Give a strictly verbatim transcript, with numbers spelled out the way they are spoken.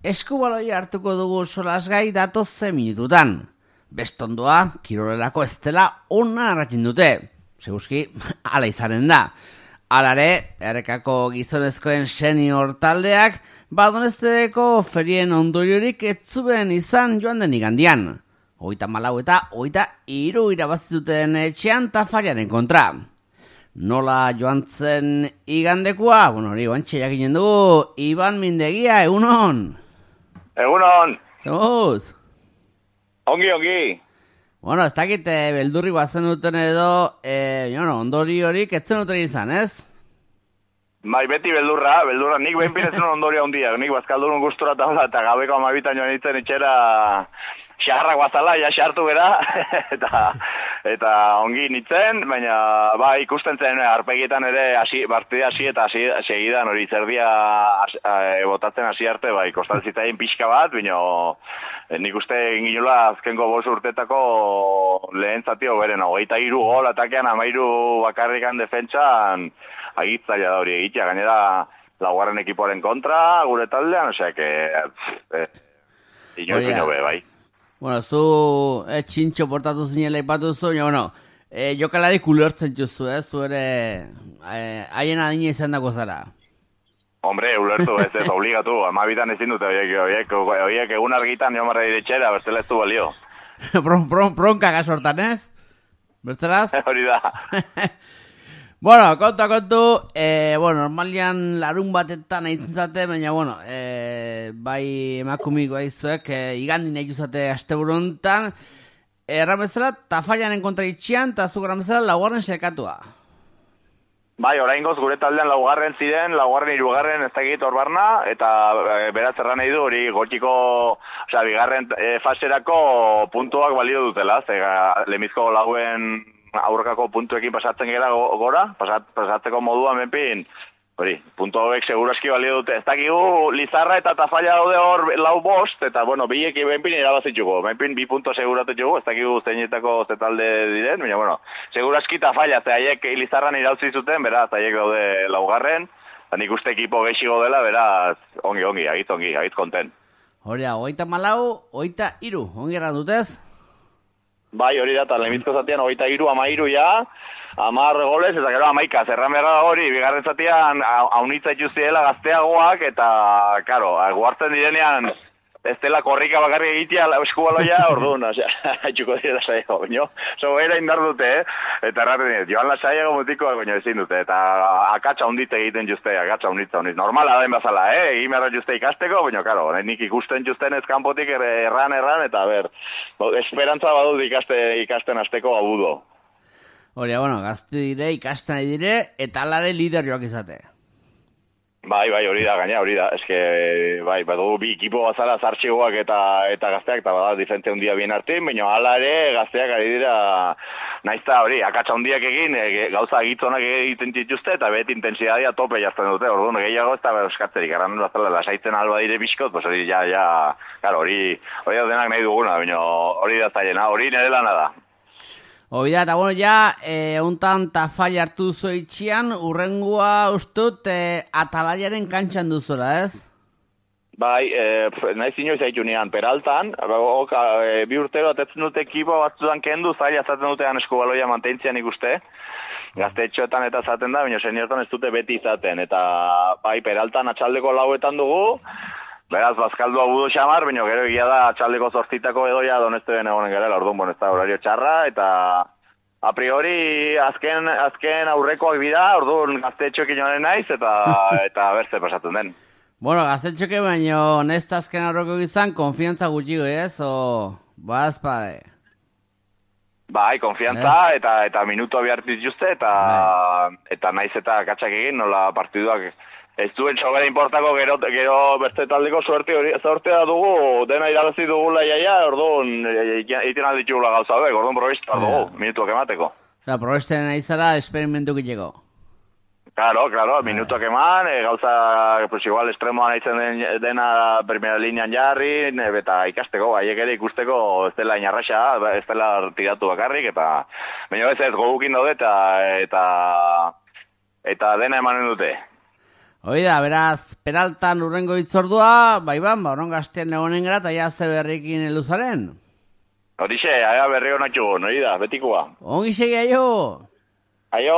eskubaloia hartuko dugu solasgai datoze minututan. Bestondoa, kirolelako ez dela ona arratzen dute. Seguski, ala izanen da. Alare, errekako gizonezkoen senior taldeak, badonesteko ferien ondoriorik etzuen izan joan den igandian. Oita malau eta oita iru irabazituten etxean Tafallaren kontra. Nola joan zen igandekoa? Bueno, hori guantxe jakinen dugu, Iban Mindegia, egunon? Egunon! Zemuz? Ongi, ongi! Bueno, ez dakit, eh, beldurri bazen duten edo, eh, bueno, ondori horik etzen duten izan, ez? Bai, beti beldurra, beldurra, nik behin piretzen ondoria handia, nik bazkaldurun gustura eta eta gabeko amabitan joan itzen itxera xarrak bazala, ja xartu bera, eta, eta ongi nintzen, baina bai, ikusten zen arpegietan ere hasi, partida hasi eta hasi segidan hori zerdia e, botatzen hasi arte, bai, kostantzitzaien pixka bat, baina nik uste ginula azkenko bost urtetako lehen zatio beren, hogeita hiru gol atakean, amairu bakarrikan defentsan, agitzaila da hori egitea, gainera laugarren ekipoaren kontra, gure taldean, osea, que eh, inoiz bino be, bai. Bueno, zu eh, txintxo portatu zinela ipatu zu, ja, bueno, eh, jokalari kulertzen juzu, eh, zu ere haien eh, adina izan dako zara. Hombre, ulertu, ez ez, obligatu, amabitan ezin dute, oiek, oiek, oiek egun argitan jo marra diretxera, bertzela ez du balio. Bron, bron, bronka gasortan, ez? Bertzelaz? Hori da. Bueno, kontu, kontu, eh, bueno, normalian larun batetan aitzen zate, baina, bueno, eh, bai emakumik bai zuek, eh, igandin nahi juzate asteburuntan, erran bezala, Tafallaren kontra itxian, eta zu erran bezala laugarren serkatua. Bai, oraingoz gure taldean laugarren ziren, laugarren hirugarren ez dakit hor barna, eta e, beraz erran nahi du hori gotxiko, osea, bigarren e, faserako puntuak balio dutela, ze lemizko lauen aurrekako puntuekin pasatzen gara gora, pasat, pasatzeko modua menpin, hori, puntu hauek seguraski balio dute. Ez dakigu Lizarra eta Tafalla daude hor lau bost, eta bueno, biek menpin irabazitxuko, menpin bi punto seguratetxuko, ez dakigu zeinetako zetalde diren, baina bueno, seguraski Tafalla, ze haiek Lizarran irautzi zuten, beraz, haiek daude laugarren, eta nik uste ekipo gehiago dela, beraz, ongi, ongi, agit ongi, agit konten. Hori, oita malau, oita iru, ongi erran dutez? Bai, hori da, eta lemizko zatean hogeita hiru, ama hiru ja, amar goles, eta gero amaika, zerran berra hori, bigarren zatean haunitza itxuziela gazteagoak, eta, karo, guartzen direnean, ez dela korrika bakarri egitea eskubaloia, orduan, osea, haitxuko dira saiago, baino, sobeira indar dute, eh? Eta erraten dira, joan la saiago mutikoak, baino ezin dute, eta akatsa hundit egiten juzte, akatsa hunditza hundit, normala den bazala, eh? Egin behar juzte ikasteko, baino, karo, nik ikusten juzten ez kanpotik erran, erran, eta ber, esperantza badut ikaste, ikasten azteko abudo. Hori, bueno, gazte dire, ikasten dire, eta alare lider joak izate. Bai, bai, hori da, gaina, hori da, eske, bai, badu bi ekipo bazala zartxigoak eta eta gazteak, eta bada, diferente hundia bien artin, baina hala ere, gazteak ari dira, naizta hori, akatsa hundiak egin, e, gauza agitzonak egiten dituzte, eta beti intensidadia tope jazten dute, orduan, gehiago ez da eskatzerik, erran bazala, lasaitzen alba dire bizkot, pues hori, ja, ja, claro, hori, hori da denak nahi duguna, baina hori da zailena, hori nire lana da. Hoi da, eta bueno, ja, e, untan Tafalla hartu zoitxian, urrengua ustut e, Atalaiaren kantxan duzula, ez? Bai, e, nahi zinoi zaitu nian, Peraltan, oka, e, bi urtero atetzen dute ekipo batzutan kendu, zaila zaten dutean eskubaloia mantentzian ikuste, gaztetxoetan eta zaten da, baina seniortan ez dute beti izaten, eta bai, Peraltan atxaldeko lauetan dugu, beraz, bazkaldu abudu xamar, baina gero egia da atxaldeko zortzitako edoia donezte den egonen gara, orduan, bueno, ez da horario txarra, eta a priori azken, azken aurrekoak bida, orduan gaztetxoekin joanen naiz, eta eta berze pasatzen den. Bueno, gaztetxoke baino nesta azken aurreko izan, konfiantza gutxigo, ez? O, bazpade. Bai, konfiantza, eh? eta eta minutua bihartiz juste, eta, eh. eta naiz eta katxak egin, nola partiduak ez duen sobera importako gero, gero beste taldeko suerte hori, sortea dugu, dena irabazi dugula iaia, orduan egiten alditxugula gauza hauek, orduan probista dugu, minutuak emateko. Osa, probisten nahi zara, esperimentu gitxeko. Claro, claro, minutuak eman, e, gauza, pues igual, estremoan haitzen den, dena primera linean jarri, eta ikasteko, haiek ere ikusteko ez dela inarraxa, ez dela tiratu bakarrik, eta baina ez ez, gogukin daude, eta, eta, eta dena emanen dute. Oida, beraz, Peraltan urrengo itzordua, bai ban, ba, oron gaztean egonen gara, eta ja ze berrikin eluzaren. Horixe, aia berri honatxu, noi da, betikoa. Ongi segi aio! Aio!